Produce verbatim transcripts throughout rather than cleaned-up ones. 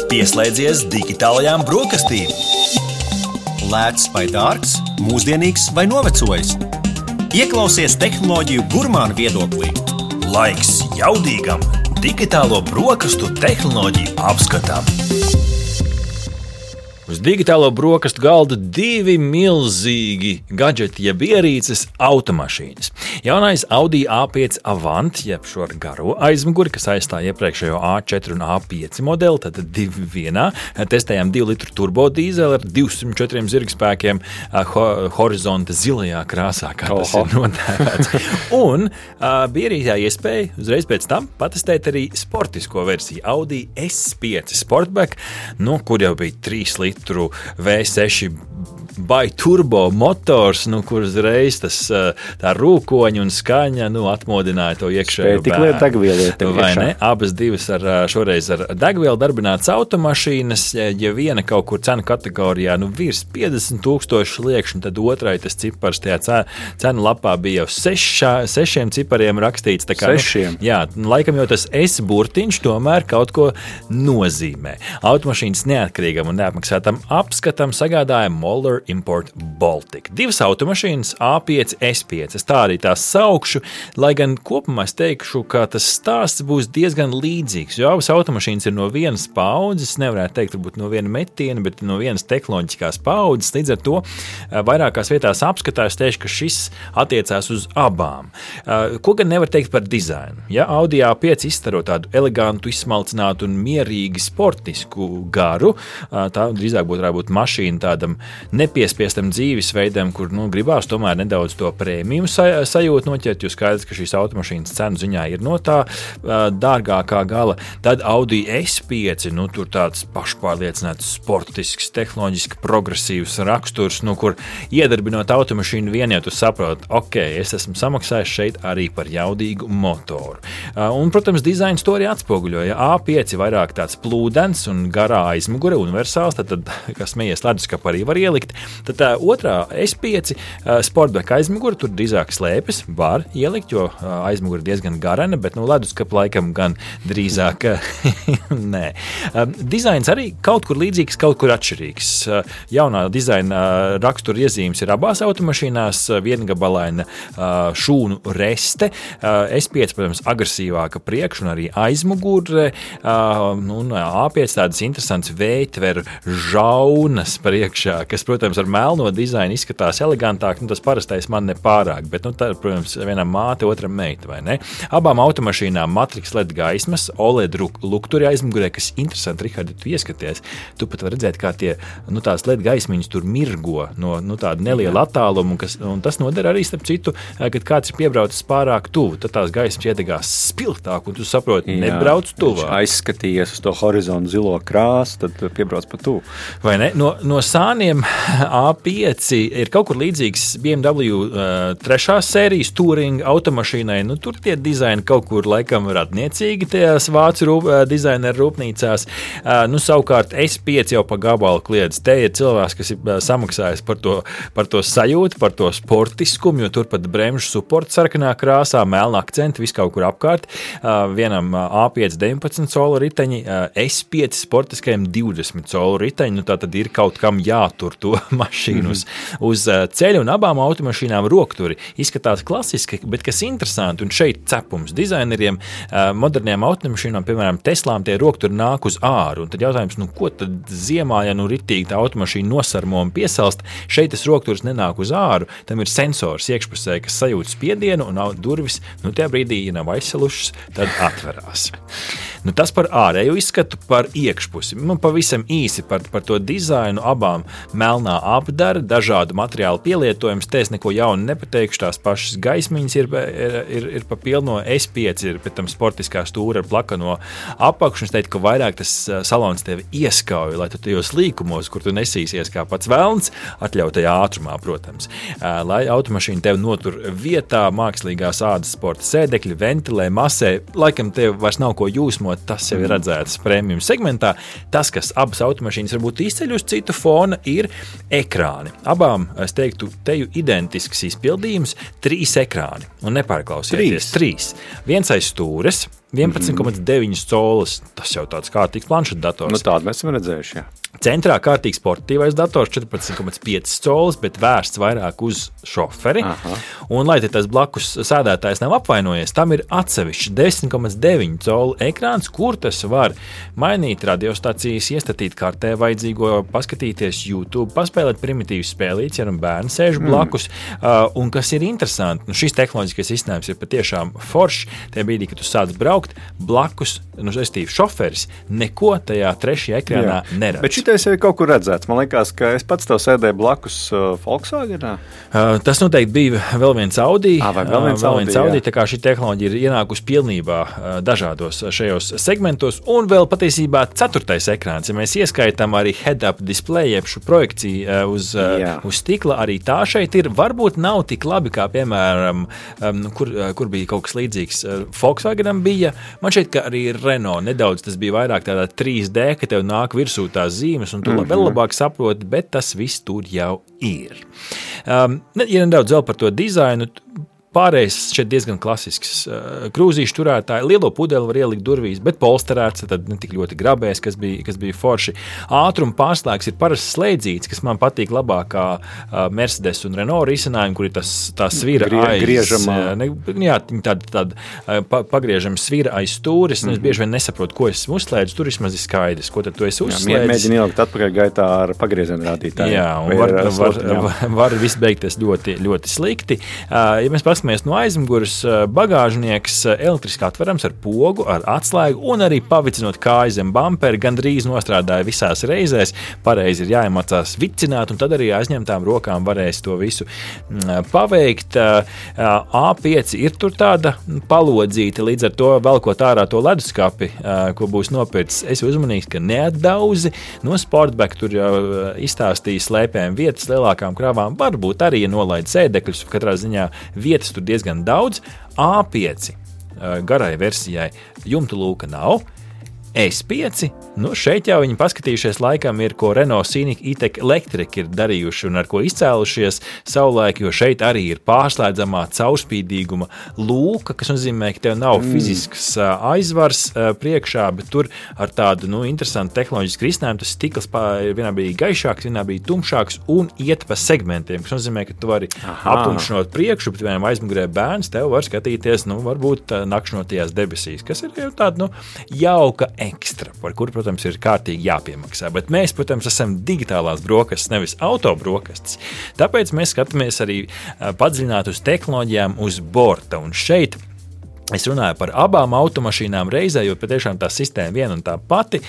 Pieslēdzies digitālajām brokastīm. Lēts vai dārgs, mūsdienīgs vai novecojis. Ieklausies tehnoloģiju gurmānu viedoklī. Laiks jaudīgam digitālo brokastu tehnoloģiju apskatam. Uz digitālo brokastu galda divi milzīgi gadžeti, jeb ierīces automašīnas. Jaunais Audi A pieci Avant, jeb šo garo aizmuguri, kas aizstāja iepriekšējo A četri un A pieci modeli, tad divi vienā. Testējām divu litru turbo dīzeli ar divsimt četriem zirgspēkiem ho horizonta zilajā krāsā, kā tas Oho. ir nodēvēts. Un uh, bija arī tā iespēja uzreiz pēc tam patestēt arī sportisko versiju Audi S pieci Sportback, nu, kur jau bija trīs litru V seši by turbo motors, nu, kur uzreiz tas tā rūkoņa un skaņa, nu, atmodināja to iekšējo bērnu. Degvielu, vai ne? Abas divas ar, šoreiz ar degvielu darbinātas automašīnas, ja viena kaut kur cenu kategorijā, nu, virs piecdesmit tūkstoši liekšņu, tad otrai tas cipars tajā cenu lapā bija jau sešā, sešiem cipariem rakstīts. Tā kā, Sešiem? Nu, jā, laikam jau tas S burtiņš tomēr kaut ko nozīmē. Automašīnas neatkarīgam un neapmaksātam apskatam sagādāja Moller Import Baltic. Divas automašīnas A pieci, S pieci. Es tā arī tās saukšu, lai gan kopumā es teikšu, ka tas stāsts būs diezgan līdzīgs, jo abas automašīnas ir no vienas paudzes, nevarētu teikt, varbūt no viena metiena, bet no vienas tehnoloģiskās paudzes. Līdz ar to vairākās vietās apskatā es teikšu, ka šis attiecās uz abām. Ko gan nevar teikt par dizainu? Ja Audi A pieci izstaro tādu elegantu, izsmalcinātu un mierīgi sportisku garu, tā drīzāk būtu varbūt mašīna tādam nepiespiestam dzīvesveidam, kur, nu, gribās tomēr nedaudz to prēmiju sajūtu noķert, jo skaidrs, ka šīs automašīnas cenu ziņā ir no tā dārgākā gala. Tad Audi S pieci, nu, tur tāds pašpārliecināts, sportisks, tehnoloģiski progresīvs raksturs, nu, kur iedarbinot automašīnu vien, ja tu saproti, ok, es esmu samaksājis šeit arī par jaudīgu motoru. Un, protams, dizains to arī atspoguļoja. A pieci vairāk tāds plūdens un garā aizmugure, universāls, tad, tad kas smējies leduskapā arī var ielikt. Tad tā otrā S pieci Sportback aizmugure, tur drīzāk slēpes, var ielikt, jo aizmugure diezgan garena, bet, nu, leduskapa laikam gan drīzāk nē. Dizains arī kaut kur līdzīgs, kaut kur atšķirīgs. Jaunā dizaina rakstura iezīmes ir abās automašīnās, viengabalaina šūnu reste. S pieci, protams, agresīvāka priekš un arī aizmugure. Un A pieci tādas interesants vējtveru žaunas priekšā, kas, protams, ar melno dizainu izskatās elegantāk, nu, tas parastais man nepārāk, bet, nu, tā, protams, vienam māte, otram meita, vai ne? Abām automašīnām Matrix L E D gaismas, O L E D lukturi aizmugurē, kas interesanti, Rihardi, tu ieskaties, tu pat var redzēt, kā tie, nu, tās L E D gaismiņas tur mirgo no, nu, tāda neliela attāluma, un, kas, un tas noder arī, starp citu, kad kāds ir piebraucis pārāk tuvu, tad tās gaismas iedegās spilgtāk, un tu saproti, Jā, nebrauc tuvāk. Aizskatījies uz to horizontu zilo krāsu, tad piebrauc pa tuvu. Vai ne? No, no sāniem A pieci ir kaut kur līdzīgs B M W uh, trešās sērijas Touring automašīnai. Nu, tur tie dizaini kaut kur laikam radniecīgi tajās vācu rūp, uh, dizaineru rūpnīcās. Uh, nu, savukārt S pieci jau pa gabalu kliedz. Te ir cilvēks, kas ir uh, samaksājis par to, par to sajūtu, par to sportiskumu, jo tur pat bremžu suports sarkanā krāsā, melna akcenti, viss kaut kur apkārt. Uh, vienam uh, A pieci deviņpadsmit colu riteņi, uh, S pieci sportiskajam divdesmit colu riteņi. Nu, tā tad ir kaut kam jātur to mašīnu uz, uz ceļa, un abām automašīnām rokturi izskatās klasiski, bet kas interesanti, un šeit cepums dizaineriem, modernajām automašīnām, piemēram, Teslām, tie rokturi nāk uz āru, un tad jautājums, nu, ko tad ziemā, ja nu ritīgi tā automašīna nosarmo un piesalst, šeit tas rokturs nenāk uz āru, tam ir sensors iekšpusē, kas sajūt spiedienu, un durvis, nu, tajā brīdī, ja nav aizsalušas, tad atverās. Nu, tas par ārēju izskatu, par iekšpusi. Nu, pavisam īsi par, par to dizainu, abām melnā apdara, dažādu materiālu pielietojums. Te es neko jaunu nepateikšu, tās pašas gaismiņas ir, ir, ir, ir pa pilno. S pieci ir pēc tam sportiskā stūra ar plakano apakšu. Es teiktu, ka vairāk tas salons tevi ieskauj, lai tu tajos līkumos, kur tu nesīsies kā pats velns, atļautajā ātrumā, protams. Lai automašīna tevi notur vietā, mākslīgās ādas sporta sēdekļi, ventilē, masē, laikam tev vairs nav ko jūsmot, tas jau ir redzēts premium segmentā. Tas, kas abas automašīnas varbūt izceļ uz citu fona, ir ekrāni. Abām, es teiktu, teju identisks izpildījums, trīs ekrāni. Un nepārklausieties, trīs. trīs. Viens aiz stūres, vienpadsmit komats deviņi colas. Tas jau tāds kārtīgs planšetdators. Nu, tādu mēs esam redzējuši, jā. Centrā kārtīgs sportīvais dators četrpadsmit komats pieci colas, bet vērsts vairāk uz šoferi. Aha. Un, lai te tas blakus sēdētājs nav apvainojies, tam ir atsevišķi desmit komats deviņi colu ekrāns, kur tas var mainīt radiostacijas, iestatīt kartē vajadzīgo, paskatīties YouTube, paspēlēt primitīvas spēlītes, ja nu bērni sēž blakus. Mm. Uh, un kas ir interesanti, nu šis tehnoloģiskais izcinājums ir patiešām foršs. Tajā brīdī, kad tu sāc braukt, blakus, nu, restīvi šoferis, neko tajā trešajā ekrānā Jā. neredz. Bet šitais jau ir kaut kur redzēts. Man liekas, ka es pats tev sēdēju blakus uh, Volkswagenā. Uh, tas noteikti bija vēl viens Audi. À, vēl viens uh, vēl viens Audi, Audi tā kā šī tehnoloģija ir ienākusi pilnībā uh, dažādos šajos segmentos. Un vēl patiesībā ceturtais ekrāns. Ja mēs ieskaitām arī head-up display, jeb šo projekciju uh, uz, uh, uz stikla, arī tā šeit ir. Varbūt nav tik labi, kā piemēram, um, kur, uh, kur bija kaut kas līdzīgs uh, Volkswagenam bija. Man šeit, ka arī Renault nedaudz tas bija vairāk tādā trīs D, ka tev nāk virsū tās zīmes, un tu mm-hmm. vēl labāk saproti, bet tas viss tur jau ir. Um, ja nedaudz vēl par to dizainu, pārējais šeit diezgan klasisks. Krūzīšu turētāji, lielo pudeli var ielikt durvīs, bet polsterēts, tad ne tik ļoti grabēs, kas bija, kas bija forši. Ātruma pārslēgs ir parasts slēdzīts, kas man patīk labākā Mercedes un Renault risinājumi, kur ir tas, tā svira Grie, aiz... Griežamā. Ne, jā, tāda, tāda pa, pagriežama svira aiz stūris, un es bieži vien nesaprotu, ko es uzslēdzu, tur vismaz ir skaidrs, ko tad tu esi uzslēdzis. Mēģini ielikt atpakaļ gaitā ar pagriezienu rādītāju. Jā, un var, var, var, var viss beigties ļoti, ļoti slikti. Ja mēs paskatāmies no aizmugures, bagāžnieks elektriski atverams ar pogu, ar atslēgu un arī pavicinot kāju zem bumperi, gandrīz nostrādāja visās reizēs. Pareizi ir jāiemācās vicināt, un tad arī aizņemtām rokām varēs to visu paveikt. A pieci ir tur tāda palodzīta, līdz ar to velkot ārā to leduskapi, ko būs nopircis. Es uzmanīgs, ka neatdauzi no Sportback, tur jau izstāstīja slēpēm vietas lielākām krāvām. Varbūt arī, ja nolaid sēdekļus, katrā ziņā vietas tur diezgan daudz. A pieci garai versijai jumtu lūka nav. S pieci, nu šeit jau viņi paskatījušies laikam ir, ko Renault Scenic E-Tech Electric ir darījuši un ar ko izcēlušies savulaik, jo šeit arī ir pārslēdzamā caurspīdīguma lūka, kas nozīmē, ka tev nav mm. fizisks aizvars priekšā, bet tur ar tādu, nu, interesantu tehnoloģisku risinājumu tas stikls vienā brīdī gaišāks, vienā brīdī tumšāks un iet pa segmentiem, kas nozīmē, ka tu vari aptumšinot priekšu, bet vienam aizmugurē bērns tev var skatīties, nu, varbūt nakšņotajās debesīs, kas ir jau tāda, nu, jauka ekstra, par kuru, protams, ir kārtīgi jāpiemaksā. Bet mēs, protams, esam digitālās brokastis, nevis auto brokastis. Tāpēc mēs skatāmies arī padziļināt uz tehnoloģijām uz borta. Un šeit es runāju par abām automašīnām reizē, jo patiešām tā sistēma viena un tā pati,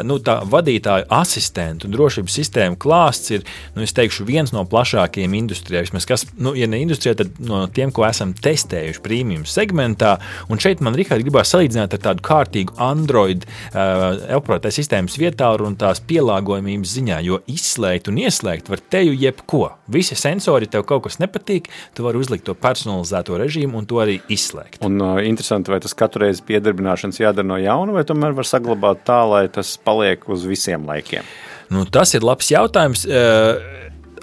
nu, tā vadītāju asistentu un drošības sistēma klāsts ir, nu, es teikšu, viens no plašākajiem industrijā. Vismaz, kas, nu, ja ne industrijā, tad no tiem, ko esam testējuši premium segmentā. Un šeit man, Rihard, gribās salīdzināt ar tādu kārtīgu Android uh, operētāju sistēmas vietālu un tās pielāgojumības ziņā, jo izslēgt un ieslēgt var teju jebko. Visi sensori, tev kaut kas nepatīk, tu vari uzlikt to personalizēto režīmu un to arī izslēgt. Un, uh, interesanti, vai tas katru reizi piedarbināšanas jādara no jauna, vai tomēr var saglabāt tā, lai tas paliek uz visiem laikiem? Nu, tas ir labs jautājums.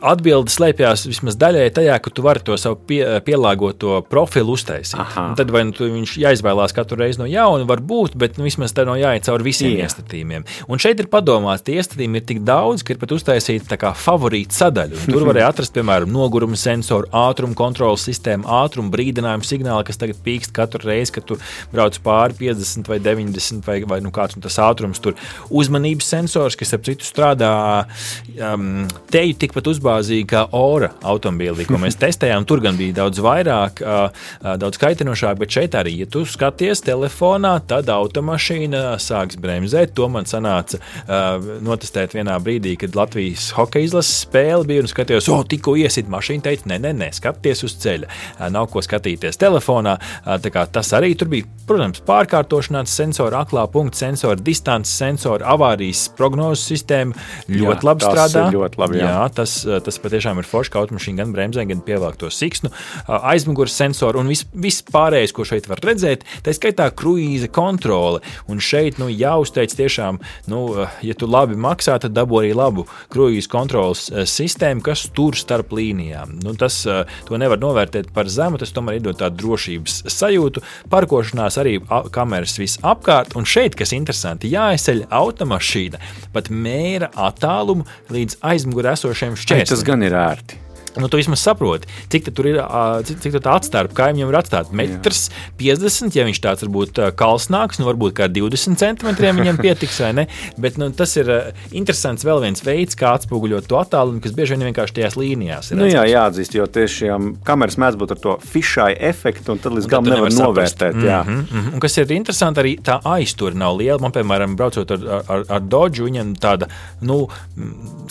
Atbilde slēpjas vismaz daļai tajā, ka tu vari to savu pie, pielāgoto profilu uztaisīt. Tad vai nu viņš jāizvēlās katru reizi no jauna, var būt, bet nu, vismaz tā no jāiet cauri visiem Jā. iestatījumiem. Un šeit ir padomāts, tie iestatījumi ir tik daudz, ka ir pat uztaisīta tā kā favorīta sadaļa. Un tur varēja atrast, piemēram, noguruma sensoru, ātruma kontrolas sistēmu, ātruma brīdinājumu signāli, kas tagad pīkst katru reizi, kad tu brauc pāri piecdesmit vai deviņdesmit vai, vai nu kāds un tas ātrums tur. Uzmanības sensors, kas ap citu strādā um, teju tikpat uzbāzīt kā Ora automobīlī, ko mēs testējām. Tur gan bija daudz vairāk, daudz kaitinošāk, bet šeit arī, ja tu skaties telefonā, tad automašīna sāks bremzēt. To man sanāca notestēt vienā brīdī, kad Latvijas hokeja izlases spēle bija un skatījos, o, tikko iesit mašīna, teica, ne, ne, ne, skaties uz ceļa. Nav ko skatīties telefonā. Tā kā tas arī tur bija, protams, pārkārtošanās sensori, aklā punkta sensori, distances sensori, avārijas prognozes sistēma ļoti jā, labi strādā. Ļoti labi, jā. Jā, tas tas patiešām ir forši, ka automašīna gan bremzē, gan pievāk to siksnu, aizmugures sensoru un viss vis pārējais, ko šeit var redzēt, tā skaitā kruīza kontrole. Un šeit, nu, jāuzteic tiešām, nu, ja tu labi maksā, tad dabū arī labu kruīza kontroles sistēmu, kas tur starp līnijām. Nu, tas, to nevar novērtēt par zemu, tas tomēr iedod tādu drošības sajūtu, parkošanās arī kameras viss apkārt, un šeit, kas interesanti, jāizceļ automašīna, pat mēra attālumu līdz aizmugurē esošiem šķērslim. Tas gan ir ērti. Nu, tu vismaz saproti, cik tur ir, cik, cik tā atstāra kaimiņam ir atstāt. Metrs piecdesmit, ja viņš tāds varbūt kalsnāks, nu varbūt kā divdesmit centimetriem viņam pietiks, vai ne? Bet nu, tas ir interesants vēl viens veids, kā atspoguļot to attālumu, kas bieži vien vienkārši tajās līnijās ir. Nu jā, jāatzīst, jo tiešām kameras mēdz būt ar to fisheye efektu, un tad līdz galam nevar novērtēt. Mm-hmm, jā. Mm-hmm. Un kas ir interesanti, arī tā aiztura nav liela. Man, piemēram, braucot ar, ar, ar Dodge, viņam tāda, nu,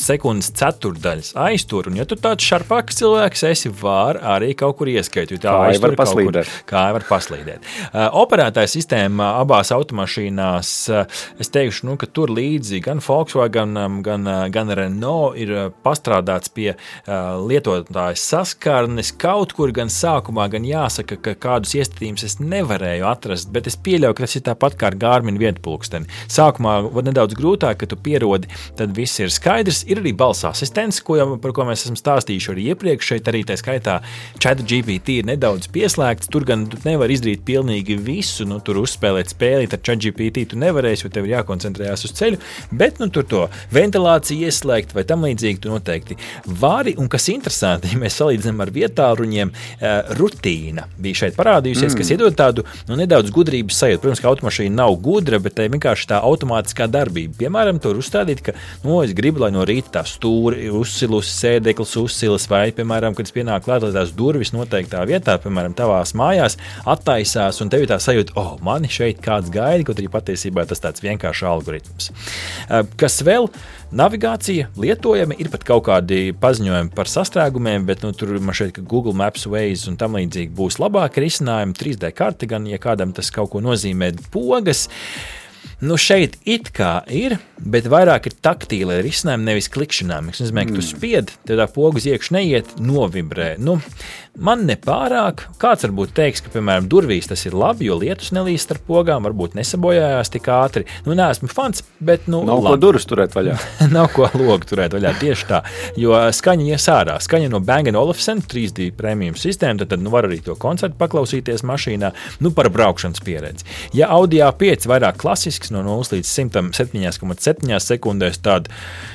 sekundes ceturdaļas aiztura, un ja tu tāds šarp paks cilvēks, esi var arī kaut kur ieskait, jo tā kāja var paslīdēt. Kāja var paslīdēt. Uh, operētāja sistēma abās automašīnās, uh, es teikšu, nu, ka tur līdzi gan Volkswagen, gan, gan Renault ir pastrādāts pie uh, lietotājas saskarnes kaut kur, gan sākumā, gan jāsaka, ka kādus iestatījumus es nevarēju atrast, bet es pieļauju, ka tas ir tāpat kā ar Garmin vietpulksteni. Sākumā nedaudz grūtāk, ka tu pierodi, tad viss ir skaidrs. Ir arī balss asistents, ko jau, par ko mēs esam stāstījuši arī iepriekš, šeit arī tā skaitā ChatGPT ir nedaudz pieslēgts, tur gan tu nevar izdarīt pilnīgi visu, nu, tur uzspēlēt spēlīt ar ChatGPT tu nevarēsi, jo tev ir jākoncentrējās uz ceļu, bet, nu, tur to ventilāciju ieslēgt vai tam līdzīgi tu noteikti vari, un kas interesanti, ja mēs salīdzinām ar vietāluņiem, uh, rutīna bija šeit parādījusies, mm. kas iedod tādu, nu, nedaudz gudrības sajūtu. Protams, ka automašīna nav gudra, bet tā vienkārši tā automātiskā darbība. Piemēram, tur uzstādīt, ka, nu, es gribu, lai no rīta tā stūri uzsilus, sēdeklis uzsilas, vai, piemēram, kad es pienāku klāt, lai tās durvis noteiktā vietā, piemēram, tavās mājās, attaisās, un tev ir tā sajūta, oh, mani šeit kāds gaida, kaut arī patiesībā tas tāds vienkārši algoritms. Kas vēl? Navigācija lietojama, ir pat kaut kādi paziņojumi par sastrēgumiem, bet, nu, tur man šeit, ka Google Maps, Waze un tam līdzīgi būs labāki risinājumi, trīs D karti gan, ja kādam tas kaut ko nozīmē, pogas. Nu, šeit it kā ir, bet vairāk ir taktīla risinājumi, nevis klikšķinām. Es nezinu, ka tu spied, tev tā poga uz iekšu neiet, novibrē. Nu, man nepārāk. Kāds varbūt teiks, ka, piemēram, durvīs tas ir labi, jo lietus nelīst ar pogām, varbūt nesabojājās tik ātri. Nu, neesmu fans, bet, nu, nav labi. Ko durvis turēt vaļā. Nav ko logu turēt vaļā, tieši tā. Jo skaņa ies ārā. Skaņa no Bang and Olufsen, trīs D premium sistēma, tad, tad nu, var arī to koncertu paklausīties mašīnā, nu, par braukšanas pieredzi. Ja Audi A pieci vairāk klasisks, no nulles līdz simtam septiņi komats septiņi sekundēs, tad,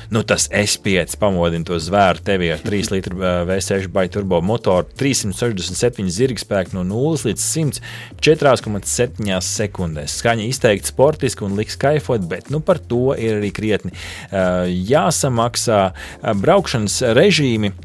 nu, tas S pieci pamodina to zvēru tevi ar trīs litru V seši by turbo motoru, trīssimt sešdesmit septiņi zirgspēki no nulles līdz simts četri komats septiņi sekundēs. Skaņa izteikti sportiski un liks kaifot, bet, nu, par to ir arī krietni uh, jāsamaksā uh, braukšanas režīmi.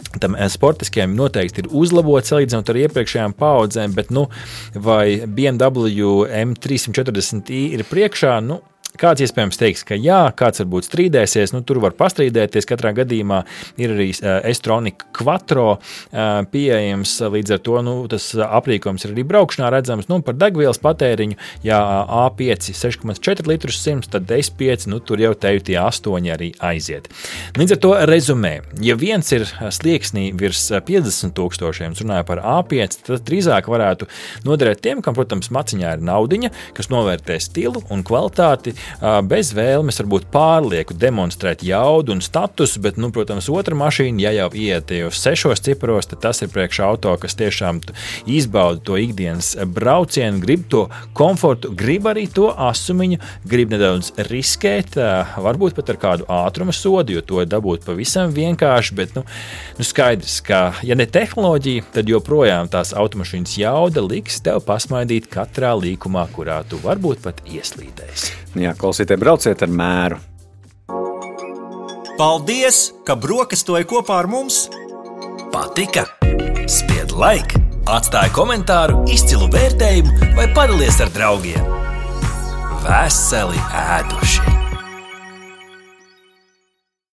Tam sportiskajiem noteikti ir uzlabots salīdzinot ar iepriekšējām paudzēm, bet, nu, vai B M W M trīs četrdesmit i ir priekšā, nu, kāds iespējams teiks, ka jā, kāds varbūt strīdēsies, nu, tur var pastrīdēties, katrā gadījumā ir arī uh, S-Tronic Quattro uh, pieejams, līdz ar to, nu, tas aprīkojums ir arī braukšanā redzams, nu, par degvielas patēriņu, ja A pieci seši komats četri litrus simts, tad S pieci, nu, tur jau tevi tie astoņi arī aiziet. Līdz ar to rezumē, ja viens ir slieksnī virs piecdesmit tūkstošiem, runāja par A pieci, tad drīzāk varētu noderēt tiem, kam, protams, maciņā ir naudiņa, kas novērtē stilu un kvalitāti, bez vēlmes varbūt pārlieku demonstrēt jaudu un statusu, bet, nu, protams, otra mašīna, ja jau iet uz sešos ciparos, tad tas ir priekš auto, kas tiešām izbauda to ikdienas braucienu, grib to komfortu, grib arī to asumiņu, grib nedaudz riskēt, varbūt pat ar kādu ātruma sodu, jo to dabūt pavisam vienkārši, bet, nu, nu skaidrs, ka, ja ne tehnoloģija, tad joprojām tās automašīnas jauda liks tev pasmaidīt katrā līkumā, kurā tu varbūt pat ieslīdēsi. Jā, klausītāji, brauciet ar mēru. Paldies, ka brokastoji kopā ar mums! Patika? Spied like, atstāj komentāru, izcilu vērtējumu vai padalies ar draugiem. Veseli ēduši!